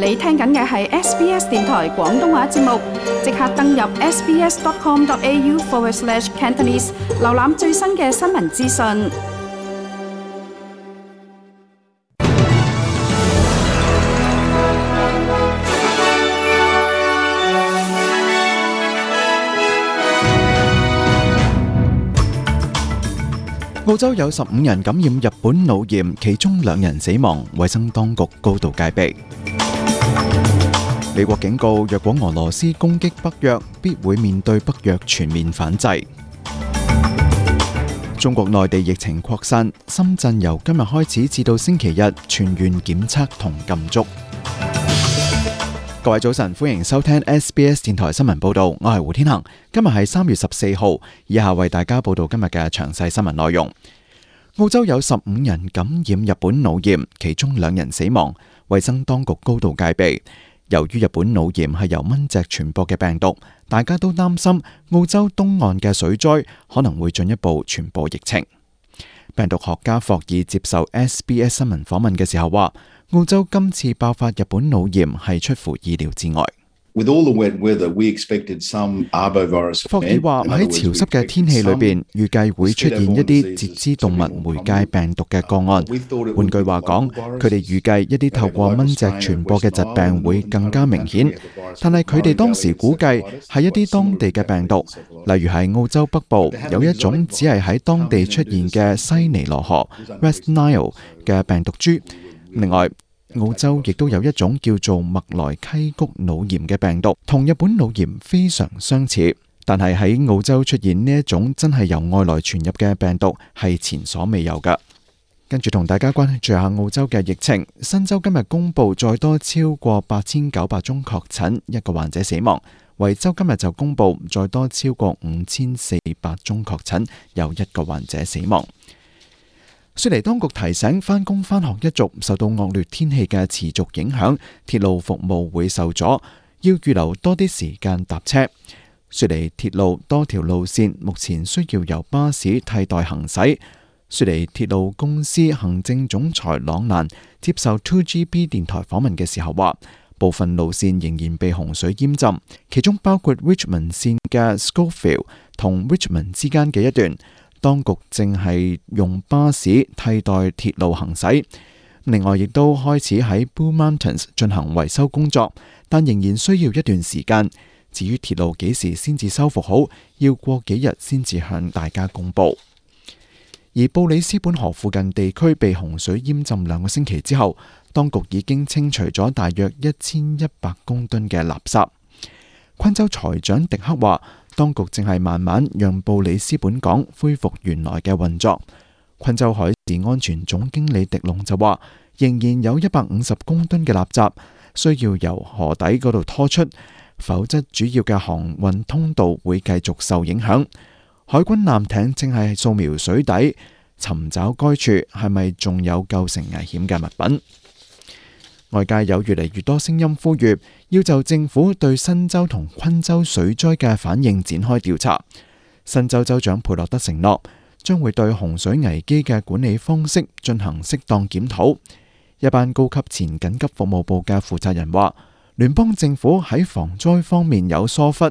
你聽緊嘅係 SBS 電台廣東話節目，即刻登入 sbs.com.au/Cantonese 瀏覽最新嘅新聞資訊。澳洲有15人感染日本腦炎，其中2人死亡，衛生當局高度戒備。美國警告，若果俄羅斯攻擊北約，必會面對北約全面反制。中國內地疫情擴散，深圳由今日開始至到星期日全員檢測同禁足。各位早晨，歡迎收聽 SBS 電台新聞報道，我係胡天恒。今日係3月14號，以下為大家報道今日嘅詳細新聞內容。澳洲有15人感染日本腦炎，其中2人死亡，衛生當局高度戒備。由於日本腦炎係由蚊隻傳播嘅病毒，大家都擔心澳洲東岸嘅水災可能會進一步傳播疫情。病毒學家霍爾接受 SBS 新聞訪問嘅時候話，澳洲今次爆發日本腦炎係出乎意料之外。霍爾話喺潮濕嘅天氣裏邊，預計會出現一啲節肢動物媒介病毒嘅個案。換句話講，佢哋預計一啲透過蚊隻傳播嘅疾病會更加明顯，但係佢哋當時估計係一啲當地嘅病毒，例如係澳洲北部有一種只係喺當地出現嘅西尼羅河 （West Nile） 嘅病毒株。另外，澳洲亦都有一種叫做麥萊溪谷腦炎嘅病毒，同日本腦炎非常相似，但係喺澳洲出現呢一種真係由外來傳入嘅病毒係前所未有㗎。跟住同大家關注下澳洲嘅疫情，新州今日公布再多超過8900宗確診，1個患者死亡。維州今日就公布再多超過5400宗確診，有1個患者死亡。雪梨當局提醒返工返學一族受到惡劣天氣嘅持續影響，鐵路服務會受阻，要預留多啲時間搭車。雪梨鐵路多條路線目前需要由巴士替代行駛。雪梨鐵路公司行政總裁朗蘭接受 2GB 電台訪問嘅時候話，部分路線仍然被洪水淹浸，其中包括 Richmond 線嘅 Schofield 同 Richmond 之間嘅一段。當局正係用巴士替代鐵路行駛，另外亦都開始喺 Blue Mountains 進行維修工作，但仍然需要一段時間。至於鐵路幾時先至修復好，要過幾日先至向大家公佈。而布里斯本河附近地區被洪水淹浸2個星期之後，當局已經清除咗大約1100公噸嘅垃圾。昆州財長迪克話，當局正係慢慢讓布里斯本港恢復原來嘅運作。昆州海事安全總經理迪龍就話，仍然有150公噸嘅垃圾需要由河底嗰度拖出，否則主要嘅航運通道會繼續受影響。海軍艦艇正係掃描水底，尋找該處係咪仲有構成危險嘅物品。外界有越嚟越多聲音呼籲，要就政府對新州同昆州水災嘅反應展開調查。新州州長佩洛德承諾，將會對洪水危機嘅管理方式進行適當檢討。一班高級前緊急服務部嘅負責人話，聯邦政府喺防災方面有疏忽，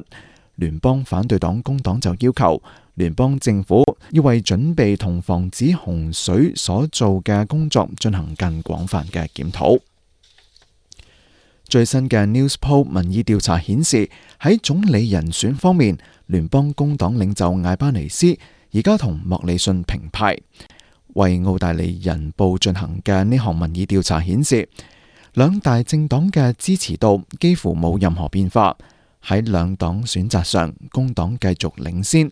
聯邦反對黨工黨就要求聯邦政府要為準備同防止洪水所做嘅工作進行更廣泛嘅檢討。最新嘅 Newspoll 民意調查顯示，喺總理人選方面，聯邦工黨領袖艾巴尼斯而家同莫里遜平派。為澳大利人報進行嘅呢項民意調查顯示，兩大政黨嘅支持度幾乎冇任何變化。喺兩黨選擇上，工黨繼續領先。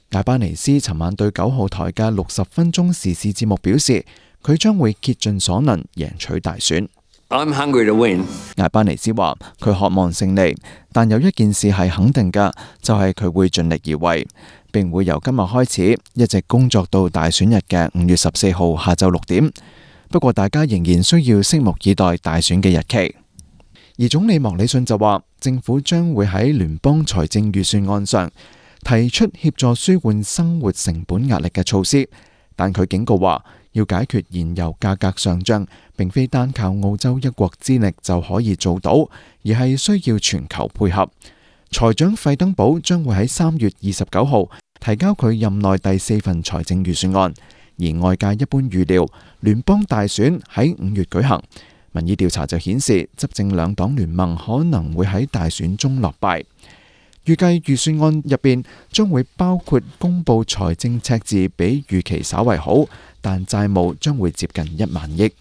艾巴尼斯尋晚對9號台嘅60分鐘時事節目表示，佢將會竭盡所能贏取大選。I'm hungry to win. 艾巴尼斯話佢渴望勝利，但有一件事係肯定嘅，就係佢會盡力而為，並會由今日開始一直工作到大選日嘅5月14號下晝6點。不過大家仍然需要拭目以待大選嘅日期。而總理莫里遜就話，政府將會喺聯邦財政預算案上提出協助舒緩生活成本壓力嘅措施，但佢警告話，要解決燃油價格上漲，並非單靠澳洲一國之力就可以做到，而係需要全球配合。財長費登堡將會喺3月29號提交佢任內第4份財政預算案，而外界一般預料聯邦大選喺5月舉行。民意調查就顯示執政兩黨聯盟可能會喺大選中落敗。預計預算案入邊將會包括公布財政赤字比預期稍為好，但債務將會接近1萬億。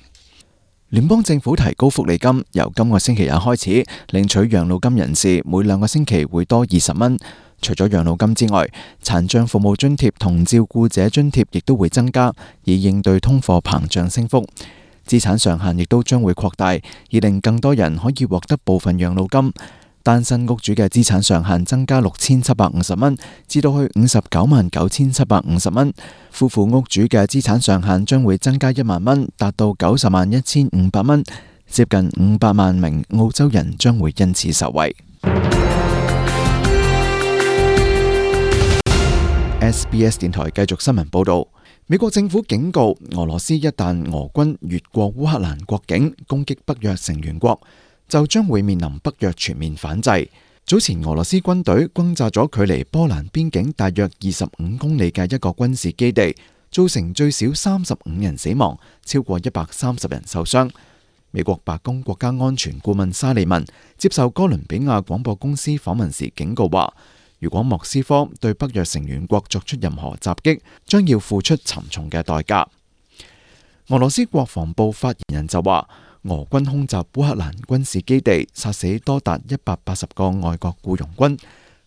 聯邦政府提高福利金，由今個星期日開始，領取養老金人士每2個星期會多20蚊。除咗養老金之外，殘障服務津貼同照顧者津貼亦都會增加，以應對通貨膨脹升幅。資產上限亦都將會擴大，以令更多人可以獲得部分養老金。單身屋主嘅資產上限增加6750蚊，至到去599750蚊。夫婦屋主嘅資產上限將會增加1萬蚊，達到901500蚊，接近500萬名澳洲人將會因此受惠。SBS 電台繼續新聞報道，美國政府警告俄羅斯一旦俄軍越過烏克蘭國境攻擊北約成員國，就將會面臨北約全面反制。早前俄羅斯軍隊轟炸咗距離波蘭邊境大約25公里嘅一個軍事基地，造成最少35人死亡，超過130人受傷。美國白宮國家安全顧問沙利文接受哥倫比亞廣播公司訪問時警告話，如果莫斯科對北約成員國作出任何襲擊，將要付出沉重嘅代價。俄羅斯國防部發言人就話，俄軍空襲烏克蘭軍事基地，殺死多達180個外國僱傭軍。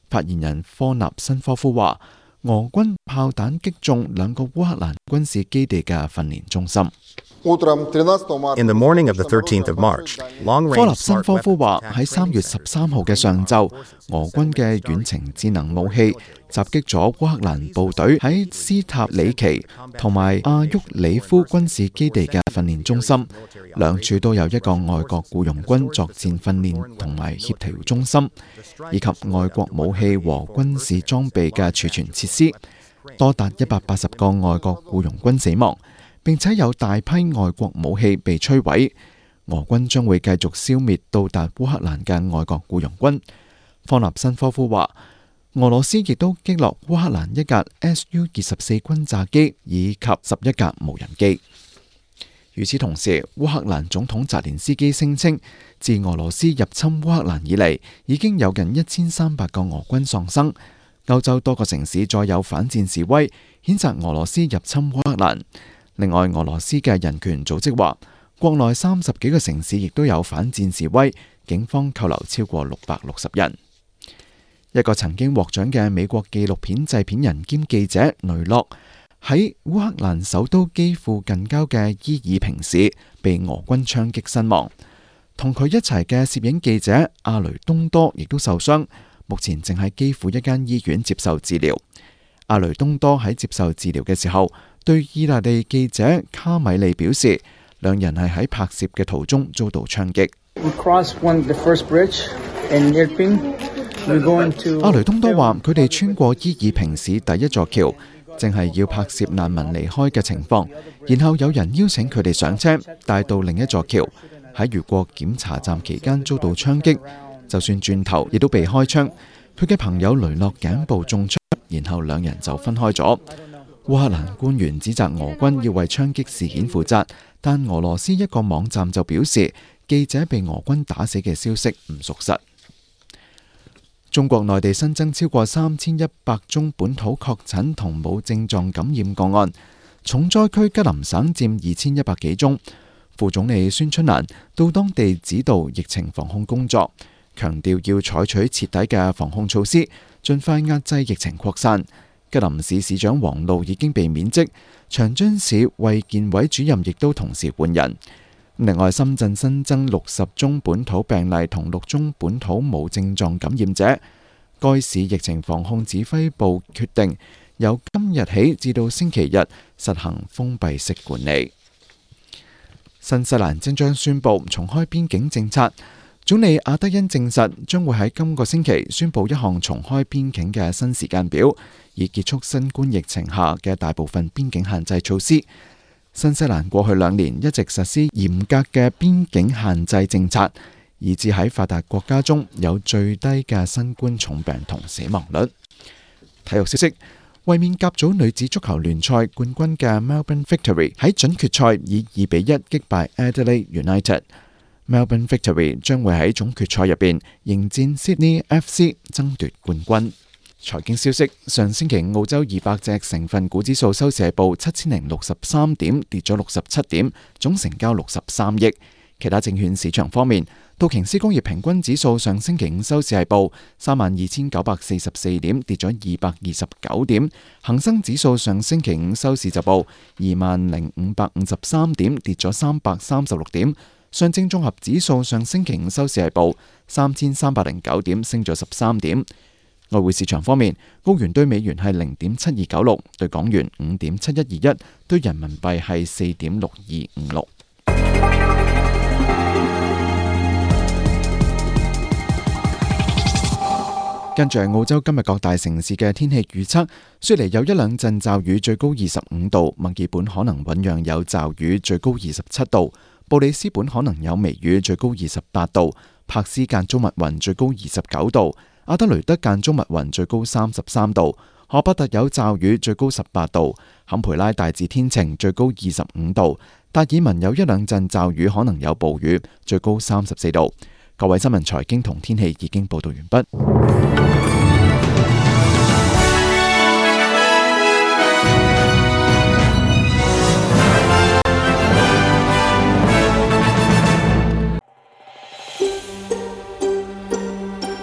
發言人科納申科夫話，俄軍炮彈擊中2個烏克蘭軍事基地嘅訓練中心。In the morning of the 13th of March, 科納申科夫話，喺3月13號嘅上晝，俄軍嘅遠程智能武器襲擊咗烏克蘭部隊喺斯塔里奇同埋阿沃里夫軍事基地嘅訓練中心，兩處都有一個外國僱傭軍作戰訓練同埋協調中心，以及外國武器和軍事裝備嘅儲存設施。多達180個外國僱傭軍死亡，並且有大批外國武器被摧毀。俄軍將會繼續消滅到達烏克蘭嘅外國僱傭軍。科納申科夫話，俄羅斯亦都擊落烏克蘭1架 Su-24轟炸機以及11架無人機。與此同時，烏克蘭總統澤連斯基聲稱，自俄羅斯入侵烏克蘭以嚟，已經有近1300個俄軍喪生。歐洲多個城市再有反戰示威，譴責俄羅斯入侵烏克蘭。另外，俄羅斯嘅人權組織話，國內30幾個城市亦都有反戰示威，警方扣留超過660人。一個曾經獲獎嘅美國紀錄片製片人兼記者雷諾喺烏克蘭首都基輔近郊嘅伊爾平市被俄軍槍擊身亡，同佢一齊嘅攝影記者阿雷東多亦都受傷，目前正喺基輔一間醫院接受治療。阿雷東多喺接受治療嘅時候，對意大利記者卡米利表示，兩人係喺拍攝嘅途中遭到槍擊。阿雷東多話，佢哋穿過伊爾平市第一座橋，正係要拍攝難民離開嘅情況，然後有人邀請佢哋上車，帶到另一座橋。喺越過檢查站期間遭到槍擊，就算轉頭亦都被開槍。佢嘅朋友雷諾頸部中槍，然後兩人就分開咗。烏克蘭官員指責俄軍要為槍擊事件負責，但俄羅斯一個網站就表示，記者被俄軍打死嘅消息唔屬實。中國內地新增超過3100宗本土確診同冇症狀感染個案，重災區吉林省佔2100幾宗。副總理孫春蘭到當地指導疫情防控工作，強調要採取徹底嘅防控措施，盡快壓制疫情擴散。吉林市市長王璐已經被免職，長春市衛健委主任亦都同時換人。另外，深圳新增60宗本土病例同6宗本土無症狀感染者。該市疫情防控指揮部決定，由今日起至到星期日實行封閉式管理。新西蘭即將宣布重開邊境政策，總理阿德恩證實將會喺今個星期宣布一項重開邊境嘅新時間表，以結束新冠疫情下嘅大部分邊境限制措施。新西蘭過去2年一直實施嚴格嘅邊境限制政策，以致喺發達國家中有最低嘅新冠重病同死亡率。體育消息，衛冕甲組女子足球聯賽冠軍嘅 Melbourne Victory 喺準決賽以2-1擊敗 Adelaide United。Melbourne Victory 將會喺總決賽入邊迎戰 Sydney FC 爭奪冠軍。財經消息，上星期澳洲200隻成分股指數收市係報7063點，跌咗67點，總成交63億。其他證券市場方面，道瓊斯工業平均指數上星期五收市係報32,944點，跌咗229點。恒生指數上星期五收市就報20,553點，跌咗336點。上證綜合指數上星期五收市係報3,309點，升咗13點。外匯市場方面，澳元對美元係0.7296，對港元5.7121，對人民幣係4.6256。跟住係澳洲今日各大城市嘅天氣預測，雪梨有一兩陣驟雨，最高25度；墨爾本可能醞釀有驟雨，最高27度；布里斯本可能有微雨，最高28度；柏斯間中密雲，最高29度；阿德雷德間中密雲，最高33度；荷伯特有驟雨，最高18度；坎培拉大致天晴，最高25度；達爾文有一兩陣驟雨，可能有暴雨，最高34度。各位新聞、財經同天氣已經報道完畢。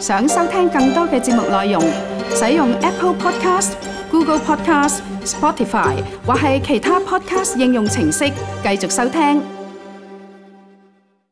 想收聽更多嘅節目內容，使用 Apple Podcast、Google Podcast、Spotify 或係其他 Podcast 應用程式繼續收聽。